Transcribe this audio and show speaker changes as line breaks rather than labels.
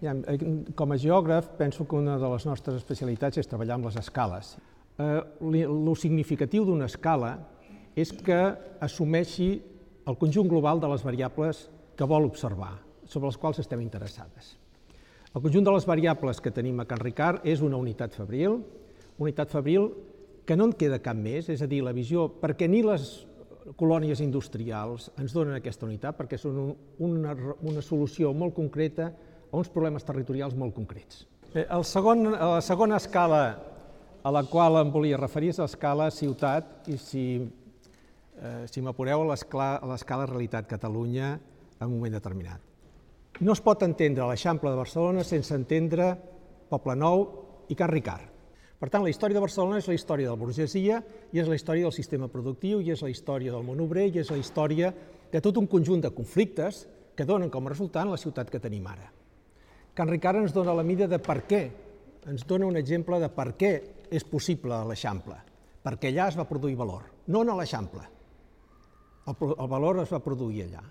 Com a geògraf, penso que una de les nostres especialitats és treballar amb les escales. Lo significatiu d'una escala és que assumeixi el conjunt global de les variables que vol observar, sobre les quals estem interessades. El conjunt de les variables que tenim a Can Ricard és una unitat fabril que no en queda cap més, és a dir, la visió, perquè ni les colònies industrials ens donen aquesta unitat, perquè són una solució molt concreta a uns problemes territorials molt concrets. La segona escala a la qual em volia referir és l'escala ciutat i, si m'apureu, l'escala realitat Catalunya en un moment determinat. No es pot entendre l'Eixample de Barcelona sense entendre Poblenou i Can Ricard. Per tant, la història de Barcelona és la història de la burgesia i és la història del sistema productiu i és la història del món obrer i és la història de tot un conjunt de conflictes que donen com a resultat la ciutat que tenim ara. Can Ricard ens dona la mida de per què, ens dona un exemple de per què és possible l'Eixample, perquè allà es va produir valor, no a l'Eixample. El valor es va produir allà.